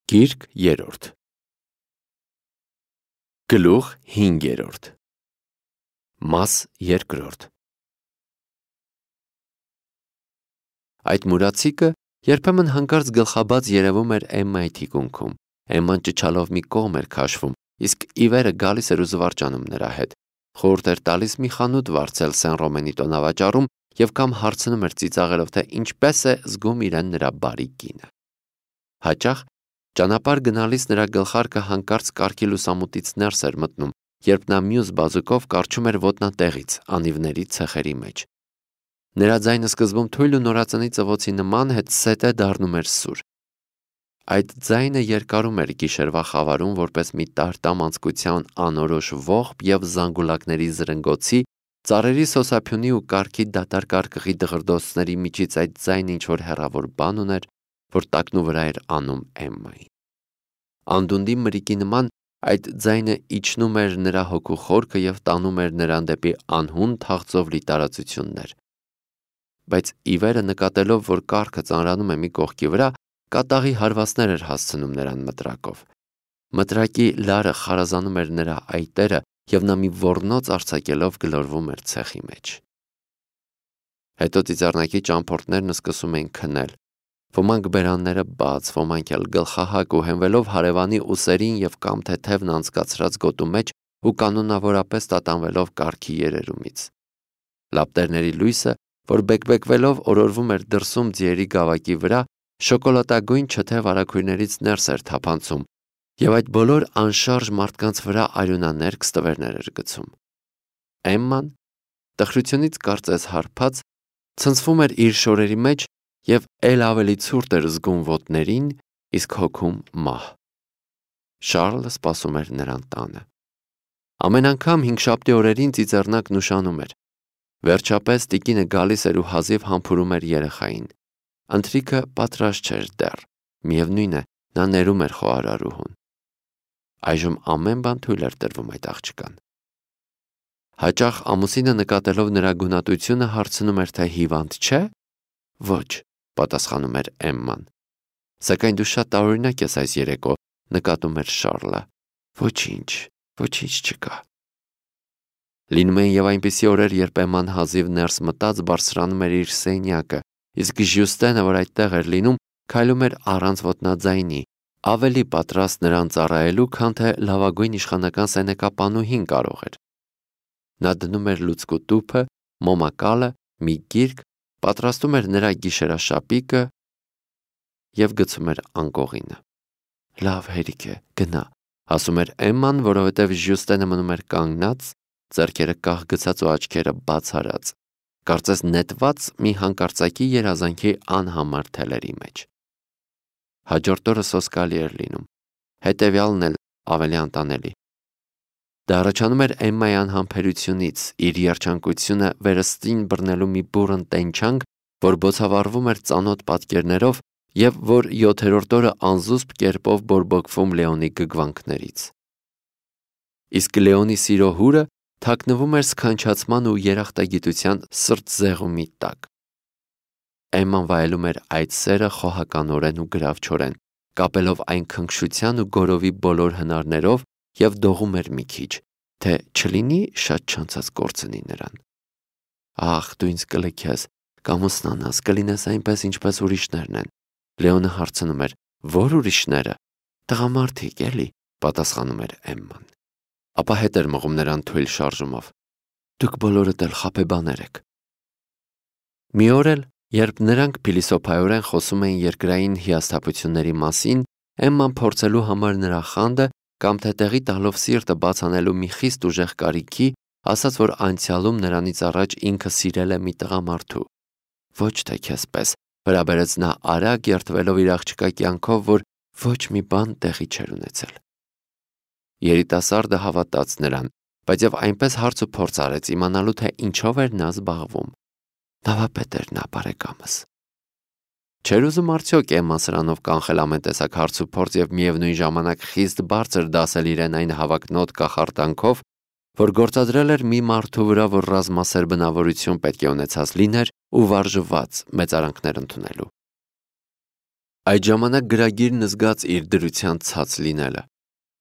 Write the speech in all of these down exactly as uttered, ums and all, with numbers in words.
Գիրք երրորդ Գլուխ հինգերորդ Մաս երկրորդ Այդ մուրացիկը երբեմն հանկարծ գլխաբաց երևում էր Էմմայի թիկունքում։ Էմման ճչալով մի կողմ էր քաշվում, իսկ Իվերը գալիս էր ու զվարճանում նրա հետ։ Խորհուրդ էր տալիս մի խանութ վարձել Սեն-Ռոմենի տոնավաճառում և կամ հարցնում էր ծիծաղելով, թե ինչպես է զգում իրեն նրա բարի կինը։ Հաճախ ճանապարհ գնալիս նրա գլխարկը հանկարծ կառքի լուսամուտից ներս էր մտնում, երբ նա մյուս բազուկով կառչում էր ոտնատեղից, անիվների ցեխերի մեջ։ Նրա ձայնը սկզբում թույլ ու նորածնի ծվոցի նման հետզհետե դառնում էր սուր։ Այդ ձայնը երկարում էր գիշերվա խավարում որպես մի տարտամ անցկության անորոշ ողբ և զանգուլակների զրնգոցի, ծառերի սոսափյունի ու կառքի դատարկ արկղի դղրդոցների միջից այդ ձայնը ինչ-որ հեռավոր բան ուներ, որ տակնու վրա էր անում Էմմային։ Անդունդի մրիկի նման այդ ձայնը իջնում էր նրա հոգու խորքը և տանում էր նրան դեպի անհուն թաղծով լի տարածություններ։ Բայց Իվերը նկատելով, որ կառքը ծանրանում է մի կողքի վրա, կատաղի հարվածներ էր հասցնում նրան մտրակով։ Մտրակի լարը խարազանում էր նրա այտերը, և նա մի ոռնոց արձակելով գլորվում էր ցեխի մեջ։ Հետո ծիծեռնակի ճամփորդներն սկսում էին քնել։ Ոմանք բերանները բաց, ոմանք էլ գլխահակ ու հենվելով հարևանի ուսերին և կամ թեթևն անցկացրած գոտու մեջ ու կանոնավորապես տատանվելով կառքի երերումից։ Լապտերների լույսը, որ բեկբեկվելով օրորվում էր դրսում ձիերի գավակի վրա, շոկոլադագույն չթև արագույրներից ներս էր թափանցում, և այդ բոլոր անշարժ մարդկանց վրա արյունաներկ ստվերներ էր գցում։ Էմման, տխրությունից կարծես հարբած, ցնցվում էր իր շորերի մեջ և էլ ավելի ցուրտ էր զգում ոտներին, իսկ հոգում մահ։ Շառլը սպասում էր նրան տանը։ Ամեն անգամ հինգշաբթի օրերին ծիծեռնակն ուշանում էր։ Վերջապես տիկինը գալիս էր ու հազիվ համբուրում էր երեխային։ Ընթրիքը պատրաստ չէր դեռ, միևնույն է, նա ներում էր խոհարարուհուն։ Այժմ ամեն բան թույլ էր տրվում այդ աղջկան։ Հաճախ ամուսինը նկատելով նրա գունատությունը հարցնում էր, թե հիվանդ չէ։ Ոչ, պատասխանում էր Էմման։ Սակայն դու շատ տարօրինակ ես այս երեկո, նկատում էր Շառլը։ Ոչինչ, ոչինչ չկա։ Լինում էին և այնպիսի օրեր, երբ Էմման հազիվ ներս մտած բարձրանում էր իր սենյակը, իսկ Ժյուստենը, որ այդտեղ էր լինում, քայլում էր առանց ոտնաձայնի, ավելի պատրաստ նրան ծառայելու, քան թե լավագույն իշխանական սենեկապանուհին կարող էր։ Նա դնում էր լուցկու տուփը, մոմակալը, մի գիրք, պատրաստում էր նրա գիշերաշապիկը և գցում էր անկողինը։ Լավ, հերիք է, գնա, ասում էր Էմման, որովհետև Ժյուստենը մնում էր կանգնած, ձեռքերը կախ գցած ու աչքերը բաց արած, կարծես նետված մի հանկարծակի երազանքի անհամար թելերի մեջ։ Հաջորդ օրը սոսկալի էր լինում, հետևյալն էլ ավելի անտանելի։ Դա առաջանում էր Էմմայի անհամբերությունից, իր երջանկությունը վերստին բռնելու մի բուռն տենչանք, որ բոցավառվում էր ծանոթ պատկերներով և որ յոթերորդ օրը անզուսպ կերպով բորբոքվում Լեոնի գգվանքներից։ Իսկ Լեոնի սիրո հուրը թաքնվում էր սքանչացման ու երախտագիտության սրտզեղումի տակ։ Էմման վայելում էր այդ սերը խոհականորեն ու գրավչորեն, կապելով այն քնքշության ու գորովի բոլոր հնարներով և դողում էր մի քիչ, թե չլինի շատ չանցած կորցնի նրան։ Ախ, դու ինձ կլքես, կամուսնանաս, կլինես այնպես, ինչպես ուրիշներն են։ Լեոնը հարցնում էր. Ո՞ր ուրիշները։ Տղամարդիկ, էլի, պատասխանում էր Էմման։ Ապա հետ էր մղում նրան թույլ շարժումով։ Դուք բոլորդ էլ խաբեբաներ եք։ Մի օր էլ, երբ նրանք փիլիսոփայորեն խոսում էին երկրային հիասթափությունների մասին, Էմման փորձելու համար նրա խանդը կամ թե տեղի տալով սիրտը բաց անելու մի խիստ ուժեղ կարիքի, ասաց, որ անցյալում նրանից առաջ ինքը սիրել է մի տղամարդու։ Ոչ թե քեզպես, վերաբերեց նա արագ երդվելով իր աղջկա կյանքով, որ ոչ մի բան տեղի չէր ունեցել։ Երիտասարդը հավատաց նրան, բայց և այնպես հարց ու փորձ արեց իմանալու, թե ինչով էր նա զբաղվում։ Նավապետ էր նա, բարեկամս։ Չէր ուզում արդյոք Էմման սրանով կանխել ամեն տեսակ հարց ու փորձ և միևնույն ժամանակ խիստ բարձր դասել իրեն այն հավակնոտ կախարդանքով, որ գործադրել էր մի մարդու վրա, որ ռազմասեր բնավորություն պետք է ունեցած լիներ ու վարժված մեծարանքներ ընդունելու։ Այդ ժամանակ գրագիրն զգաց իր դրության ցած լինելը։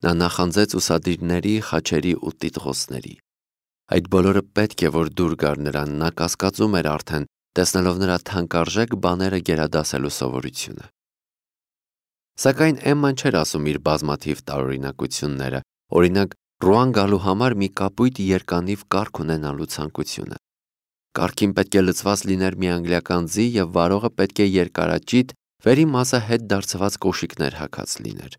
Նա նախանձեց ուսադիրների, խաչերի ու տիտղոսների։ Այդ բոլորը պետք է որ դուր գար նրան, նա կասկածում էր արդեն, տեսնելով նրա թանկարժեք բաները գերադասելու սովորությունը։ Սակայն Էմման չէր ասում իր բազմաթիվ տարօրինակությունները, օրինակ Ռուան գալու համար մի կապույտ երկանիվ կառք ունենալու ցանկությունը։ Կառքին պետք է լցված լիներ մի անգլիական ձի և վարողը պետք է երկարաճիտ, վերի մասը հետ դարձված կոշիկներ հագած լիներ։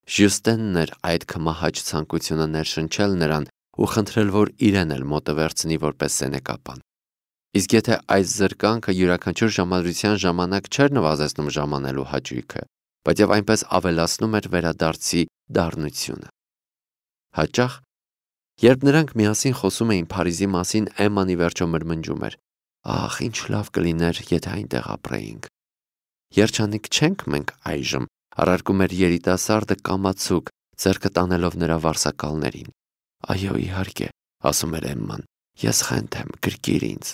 Ժյուստենն էր այդ քմահաճ ցանկությունը ներշնչել նրան ու խնդրել, որ իրեն էլ մոտը վերցնի որպես սենեկապան։ Իսկ եթե այս զրկանքը յուրաքանչյուր ժամադրության ժամանակ չէր նվազեցնում ժամանելու հաճույքը, բայց և այնպես ավելացնում էր վերադարձի դառնությունը։ Հաճախ, երբ նրանք միասին խոսում էին Փարիզի մասին, Էմման ի վերջո մրմնջում էր. «Ախ, ինչ լավ կլիներ, եթե այնտեղ ապրեինք»։ «Երջանիկ չենք մենք այժմ», առարկում էր երիտասարդը կամացուկ, ձեռքը տանելով նրա վարսակալներին։ «Այո, իհարկե», ասում էր Էմման, «ես խենթ եմ, գրկիր ինձ»։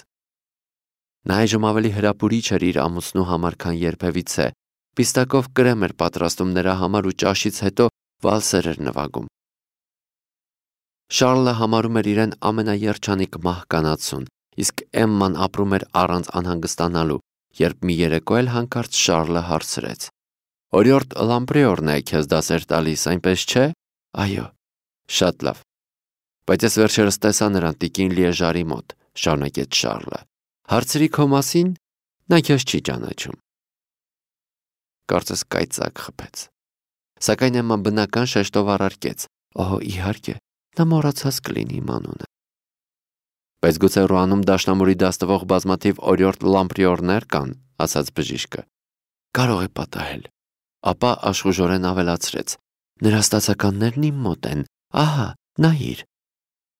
Նա այժմ ավելի հրապուրիչ էր իր ամուսնու համար, քան երբևիցե։ Պիստակով կրեմ էր պատրաստում նրա համար ու ճաշից հետո վալսեր էր նվագում։ Շառլը համարում էր իրեն ամենաերջանիկ մահկանացուն, իսկ Էմման ապրում էր առանց անհանգստանալու, երբ մի երեկո էլ հանկարծ Շառլը հարցրեց. «Օրիորդ Լամպրիորն է քեզ դասեր տալիս, այնպես չէ»։ «Այո»։ «Շատ լավ։ Բայց ես վերջերս տեսա նրան տիկին Լիեժարի մոտ», շարունակեց Շառլը։ «Հարցրի քո մասին, նա քեզ չի ճանաչում»։ Կարծես կայծակ խփեց։ Սակայն Էմման բնական շեշտով առարկեց. «Օհ, իհարկե, նա մոռացած կլինի իմ անունը»։ «Բայց գուցե Ռուանում դաշնամուրի դաս տվող բազմաթիվ օրիորդ Լամպրիորներ կան», ասաց բժիշկը։ «Կարող է պատահել»։ Ապա աշխուժորեն ավելացրեց. «Նրա ստացականներն իմ մոտ են, ահա, նայիր»։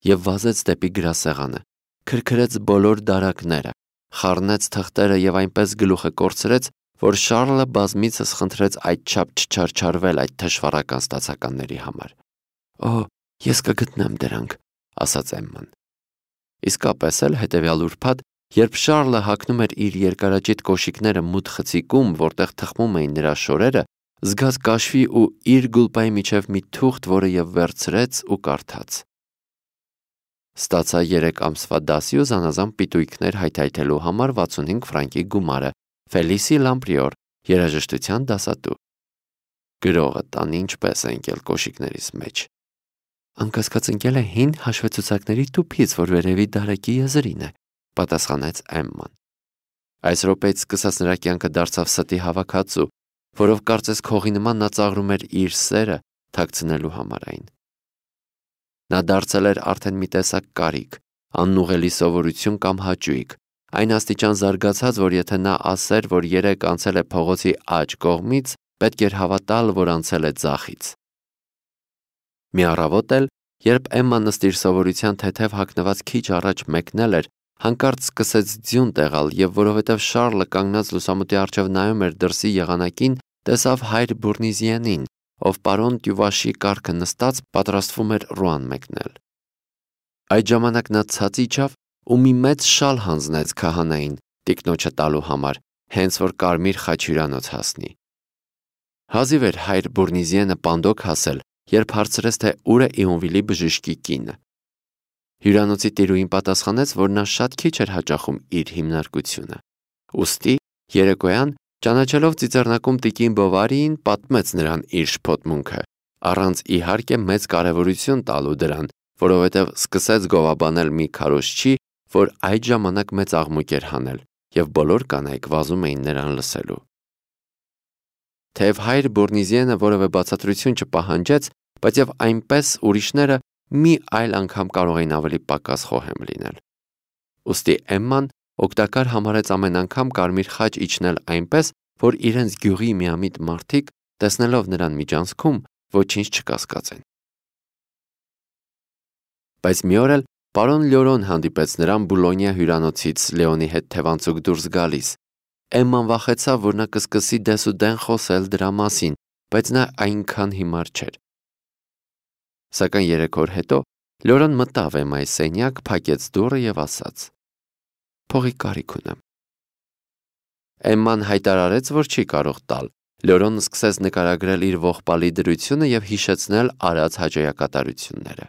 Եվ վազեց դեպի գրասեղանը, քրքրեց բոլոր դարակները, խառնեց թղթերը և այնպես գլուխը կորցրեց, որ Շառլը բազմիցս խնդրեց այդչափ չչարչարվել այդ թշվառական ստացականների համար։ «Օհ, ես կգտնեմ դրանք», ասաց Էմման։ Իսկապես էլ հետևյալ ուրբաթ, երբ Շառլը հագնում էր իր երկարաճիտ կոշիկները մութ խցիկում, որտեղ թխմում էին նրա շորերը, զգաց կաշվի ու իր գուլպայի միջև մի թուղթ, որը և վերցրեց ու կարդաց. «Ստացա երեք ամսվա դասի ու զանազան պիտույքներ հայթայթելու համար վաթսունհինգ ֆրանկի գումարը, Ֆելիսի Լամպրիոր, երաժշտության դասատու»։ Գրողը տան ինչպես է ընկել կոշիկներիս մեջ։ «Անկասկած ընկել է հին հաշվեցուցակների տուփից, որ վերևի դարակի եզրին է», պատասխանեց Էմման։ Այս րոպեից սկսած նրա կյանքը դարձավ ստի հավաքածու, որով կարծես քողի նման նա ծաղրում էր իր սերը թաքցնելու համար այն։ Նա դարձել էր արդեն մի տեսակ կարիք, անուղղելի սովորություն կամ հաճույք, այն աստիճան զարգացած, որ եթե նա ասեր, որ երեկ անցել է փողոցի աջ կողմից, պետք էր հավատալ, որ անցել է ձախից։ Մի առավոտ էլ, երբ Էմման ըստ իր սովորության թեթև հագնված քիչ առաջ մեկնել էր, հանկարծ սկսեց ձյուն տեղալ և որովհետև Շառլը կանգնած լուսամուտի առջև նայում էր դրսի եղանակին, տեսավ հայր Բուրնիզիենին, ով պարոն Տյուվաշի կառքը նստած պատրաստվում էր Ռուան մեկնել։ Այդ ժամանակ նա ցած իջավ ու մի մեծ շալ հանձնեց քահանային տիկնոջը տալու համար, հենց որ Կարմիր խաչ հյուրանոց հասնի։ Հազիվ էր հայր Բուրնիզիենը պանդոկ հասել, երբ հարցրեց, թե ուր է Իոնվիլի բժշկի կինը։ Հյուրանոցի տիրուհին պատասխանեց, որ նա շատ քիչ էր հաճախում իր հիմնարկությունը։ Ուստի երեկոյան, ճանաչելով ծիծեռնակում տիկին Բովարիին, պատմեց նրան իր շփոթմունքը, առանց իհարկե մեծ կարևորություն տալու դրան, որովհետև սկսեց գովաբանել մի քարոզչի, որ այդ ժամանակ մեծ աղմուկ էր հանել, և բոլոր կանայք վազում էին նրան լսելու։ Թեև հայր Բուրնիզիենը որևէ բացատրություն չպահանջեց, բայց և այնպես ուրիշները մի այլ անգամ կարող էին ավելի պակաս խոհեմ լինել։ Ուստի Էմման օգտակար համարեց ամեն անգամ Կարմիր խաչ իջնել այնպես, որ իրենց գյուղի միամիտ մարդիկ, տեսնելով նրան միջանցքում, ոչինչ չկասկածեն։ Բայց մի օր էլ պարոն Լյորոն հանդիպեց նրան Բուլոնիա հյուրանոցից Լեոնի հետ թևանցուկ դուրս գալիս։ Էմման վախեցավ, որ նա կսկսի դեսուդեն խոսել դրա մասին, բայց նա այնքան հիմար չէր։ Սակայն երեք օր հետո Լյորոն մտավ Էմմայի սենյակ, փակեց դուռը և ասաց. «Փողի կարիք ունեմ»։ Էմման հայտարարեց, որ չի կարող տալ։ Լյորոն սկսեց նկարագրել իր ողբալի դրությունը եւ հիշեցնել արած հաջողակատարությունները։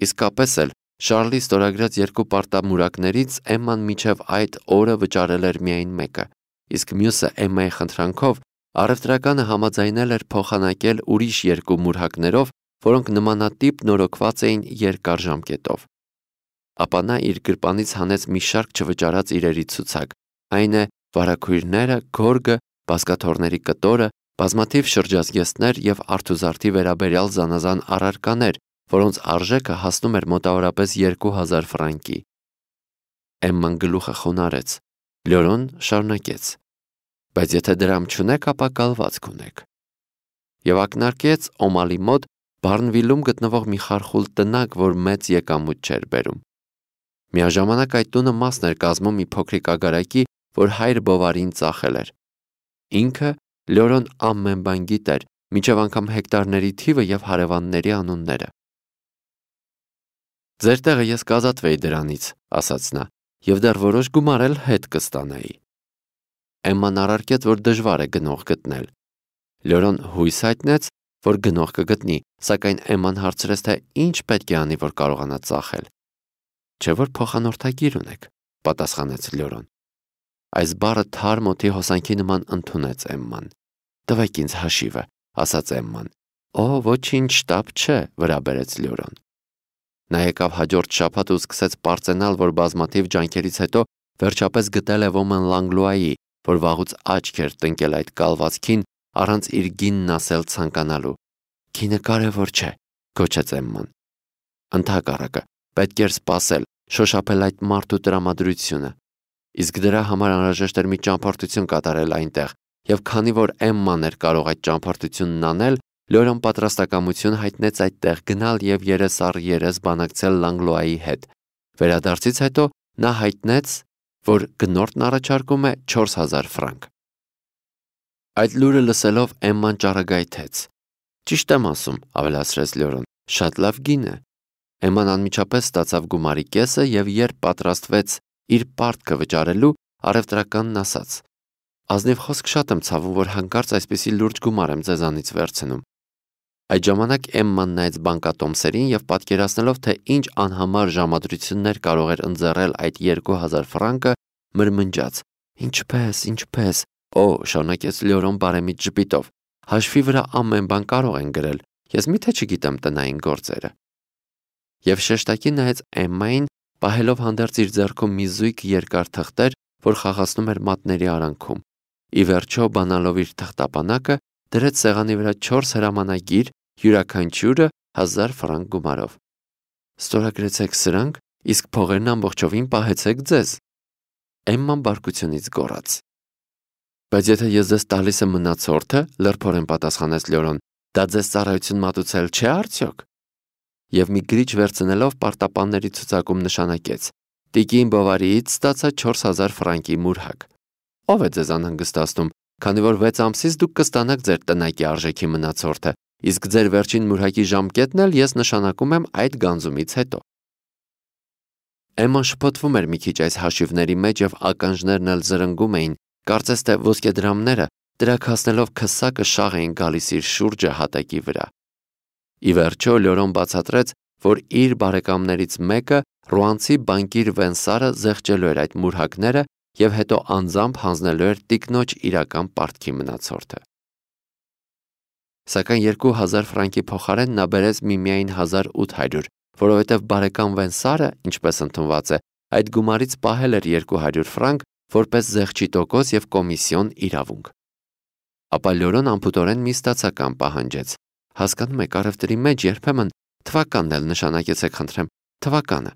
Իսկապես էլ Շարլի ստորագրած երկու պարտամուրակներից Էմման մինչև այդ օրը վճարել էր միայն մեկը, իսկ մյուսը Էմմայի խնդրանքով առևտրականը համաձայնել էր փոխանակել ուրիշ երկու մուրհակներով, որոնք նմանատիպ նորոգված էին երկար ժամկետով։ Ապա նա իր գրպանից հանեց մի շարք չվճարած իրերի ցուցակ, այն է վարագույրները, գորգը, բազկաթոռների կտորը, բազմաթիվ շրջազգեստներ եւ արթուզարդի վերաբերյալ զանազան առարկաներ, որոնց արժեքը հասնում էր մոտավորապես երկու հազար ֆրանկի։ Էմման գլուխը խոնարհեց։ Լյորոն շարունակեց. Բայց եթե դրամ չունեք, ապա կալվածք ունեք։ Եվ ակնարկեց Օմալի մոտ Բարնվիլում գտնվող մի խարխուլ տնակ, որ մեծ եկամուտ չէր բերում։ Միաժամանակ այդ տունը մասն էր կազմում մի փոքրիկ ագարակի, որ հայր Բովարին ծախել էր։ Ինքը Լյորոն ամեն բան գիտեր, մինչև անգամ հեկտարների թիվը եւ հարևանների անունները։ Ձեր տեղը ես կազատվեի դրանից, ասաց նա, եւ դեռ որոշ գումար էլ հետ կստանայի։ Էմման առարկեց, որ դժվար է գնող գտնել։ Լյորոն հույս հայտնեց, որ գնող կգտնի, սակայն Էմման հարցրեց, թե ինչ պետք է անի, որ կարողանա ծախել։ Չէ՞ որ փոխանորդագիր ունեք, պատասխանեց Լյորոն։ Այս բառը թարմ օդի հոսանքի նման ընդունեց Էմման։ Տվեք ինձ հաշիվը, ասաց Էմման։ Օ, ոչինչ շտապ չէ, վրա բերեց Լյորոն։ Նա եկավ հաջորդ շաբաթ ու սկսեց պարծենալ, որ բազմաթիվ ջանքերից հետո վերջապես գտել է ոմն Լանգլուայի, որ վաղուց աչք էր տնկել այդ կալվածքին, առանց իր գինն ասել ցանկանալու։ Գինը կարևոր չէ, գոչեց Էմման։ Ընդհակառակը, պետք էր սպասել, շոշափել այդ մարդու տրամադրությունը։ Իսկ դրա համար անհրաժեշտ էր մի ճամփորդություն կատարել այնտեղ, եւ քանի որ Էմման էր կարող այդ ճամփորդությունն անել, Լյորոն պատրաստակամություն հայտնեց այդտեղ գնալ եւ երես առ երես բանակցել Լանգլուայի հետ։ Վերադարձից հետո նա հայտնեց, որ գնորդն առաջարկում է չորս հազար ֆրանկ։ Այդ լուրը լսելով Էմման ճառագայթեց։ Ճիշտ եմ ասում, ավելացրեց Լյորոն, շատ լավ գին է։ Էմման անմիջապես ստացավ գումարի կեսը եւ երբ պատրաստվեց իր պարտքը վճարելու, առևտրականն ասաց. Ազնիվ խոսք շատ եմ ցավում, որ հանկարծ այսպիսի լուրջ գումար եմ ձեզանից վերցնում։ Այդ ժամանակ Էմման նայեց բանկատոմսերին եւ պատկերացնելով, թե ինչ անհամար ժամադրություններ կարող էր ընձեռել այդ երկու հազար ֆրանկը, մրմնջաց. Ինչպես, ինչպես, օ, շարունակեց Լյորոն բարեմիտ ժպիտով, հաշվի վրա ամեն բան կարող են գրել, ես միթե չգիտեմ տնային գործերը։ Եվ շեշտակի նայեց Էմմային, պահելով հանդերձ իր ձեռքում մի զույգ երկար թղթեր, որ խաղացնում էր մատների արանքում։ Ի վերջո, բանալով իր թղթապանակը, դրեց սեղանի վրա չորս հրամանագիր, յուրաքանչյուրը հազար ֆրանկ գումարով։ Ստորագրեցեք սրանք, իսկ փողերն ամբողջովին պահեցեք ձեզ։ Էմման բարկությունից գոռաց։ Բայց եթե ես ձեզ տալիս եմ մնացորդը, լրփորեն պատասխանեց Լյորոն, դա ձեզ ծառայություն մատուցել չէ արդյոք։ Եվ մի գրիչ վերցնելով պարտապանների ցուցակում նշանակեց. Տիկին Բովարիից ստացա չորս հազար ֆրանկի մուրհակ։ Ով է ձեզ անհանգստացնում, քանի որ վեց ամսից դուք կստանաք ձեր տնակի արժեքի մնացորդը, իսկ ձեր վերջին մուրհակի ժամկետն էլ ես նշանակում եմ այդ գանձումից հետո։ Էմման շփոթվում էր մի քիչ այս հաշիվների մեջ եւ ականջներն էլ զրնգում էին, կարծես թե ոսկեդրամները դրակ հասնելով քսակը շաղ էին գալիս իր շուրջը հատակի վրա։ Ի վերջո Լյորոն բացատրեց, որ իր բարեկամներից մեկը ռուանցի բանկիր Վենսարը զեղչելու էր այդ մուրհակները եւ հետո անձամբ հանձնելու էր տիկնոջ իրական պարտքի մնացորդը։ Սակայն երկու հազար ֆրանկի փոխարեն նա բերեց միմիայն հազար ութ հարյուր, որովհետև բարեկամ Վենսարը, ինչպես ընդունված է, այդ գումարից պահել էր երկու հարյուր ֆրանկ որպես զեղչի տոկոս եւ կոմիսիոն իրավունք։ Ապա Լյորոն անփուտորեն մի ստացական պահանջեց։ Հասկանում եք, առևտրի մեջ երբեմն թվականն էլ նշանակեցեք խնդրեմ, թվականը։